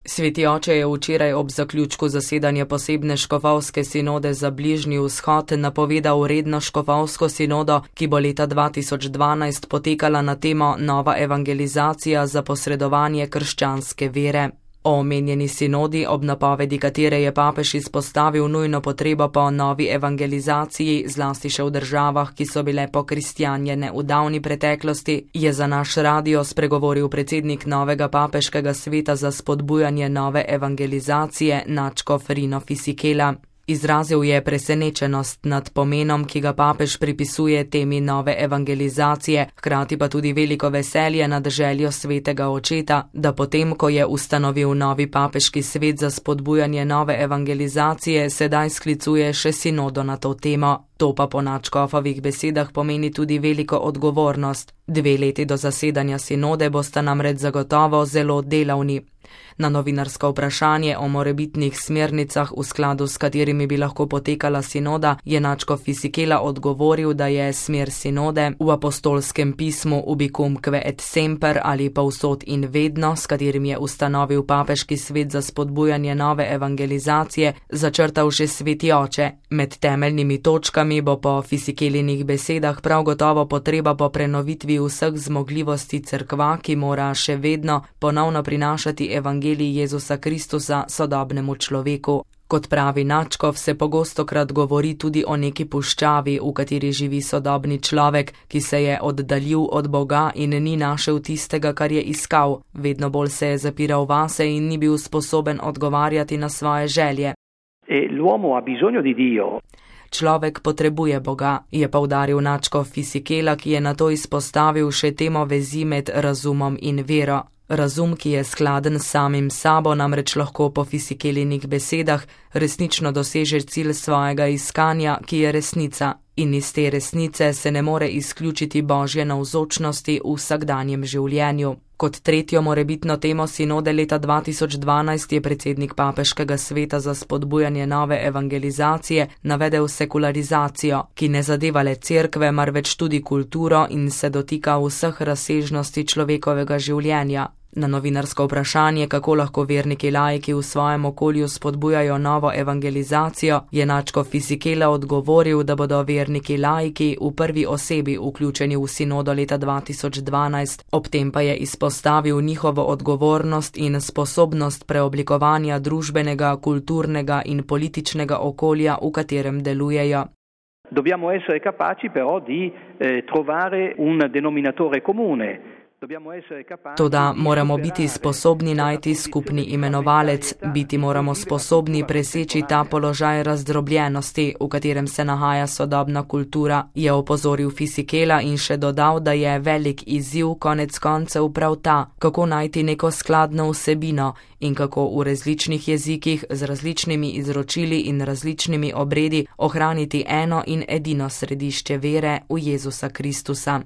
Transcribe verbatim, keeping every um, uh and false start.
Sveti oče je včeraj ob zaključku zasedanja posebne škofovske sinode za Bližnji vzhod napovedal redno škofovsko sinodo, ki bo leta dva tisoč dvanajst potekala na temo Nova evangelizacija za posredovanje krščanske vere. O omenjeni sinodi, ob napovedi katere je papež izpostavil nujno potrebo po novi evangelizaciji, zlasti še v državah, ki so bile pokristjanjene v davni preteklosti, je za naš radio spregovoril predsednik novega papeškega sveta za spodbujanje nove evangelizacije nadškof Rino Fisichella. Izrazil je presenečenost nad pomenom, ki ga papež pripisuje temi nove evangelizacije, hkrati pa tudi veliko veselje nad željo svetega očeta, da potem, ko je ustanovil novi papeški svet za spodbujanje nove evangelizacije, sedaj sklicuje še sinodo na to temo. To pa po nadškofovih besedah pomeni tudi veliko odgovornost. Dve leti do zasedanja sinode bosta namreč zagotovo zelo delavni. Na novinarsko vprašanje o morebitnih smernicah, v skladu s katerimi bi lahko potekala sinoda, je nadškof Fisichella odgovoril, da je smer sinode v apostolskem pismu Ubicumque et semper ali povsod in vedno, s katerim je ustanovil papeški svet za spodbujanje nove evangelizacije, začrtal že sveti oče. Med temeljnimi točkami bo po Fisichelinih besedah prav gotovo potreba po prenovitvi vseh zmogljivosti cerkva, ki mora še vedno ponovno prinašati evangelij Jezusa Kristusa sodobnemu človeku. Kot pravi nadškof, se pogostokrat govori tudi o neki puščavi, v kateri živi sodobni človek, ki se je oddaljil od Boga in ni našel tistega, kar je iskal. Vedno bolj se je zapiral vase in ni bil sposoben odgovarjati na svoje želje. E l'uomo ha bisogno di Dio. Človek potrebuje Boga, je poudaril nadškof Fisichella, ki je nato izpostavil še temo vezi med razumom in vero. Razum, ki je skladen s samim sabo, namreč lahko po Fisichelinih besedah resnično doseže cilj svojega iskanja, ki je resnica, in iz te resnice se ne more izključiti Božje navzočnosti v vsakdanjem življenju. Kot tretjo morebitno temo sinode leta dva tisoč dvanajst je predsednik papeškega sveta za spodbujanje nove evangelizacije navedel sekularizacijo, ki ne zadeva le cerkve, marveč tudi kulturo in se dotika vseh razsežnosti človekovega življenja. Na novinarsko vprašanje, kako lahko verniki laiki v svojem okolju spodbujajo novo evangelizacijo, je nadškof Fisichella odgovoril, da bodo verniki laiki v prvi osebi vključeni v sinodo leta dva tisoč dvanajst, ob tem pa je izpostavil njihovo odgovornost in sposobnost preoblikovanja družbenega, kulturnega in političnega okolja, v katerem delujejo. Dobbiamo essere capaci però di eh, trovare un denominatore comune. Toda moramo biti sposobni najti skupni imenovalec, biti moramo sposobni preseči ta položaj razdrobljenosti, v katerem se nahaja sodobna kultura, je opozoril Fisichella in še dodal, da je velik izziv konec koncev prav ta, kako najti neko skladno vsebino in kako v različnih jezikih z različnimi izročili in različnimi obredi ohraniti eno in edino središče vere v Jezusa Kristusa.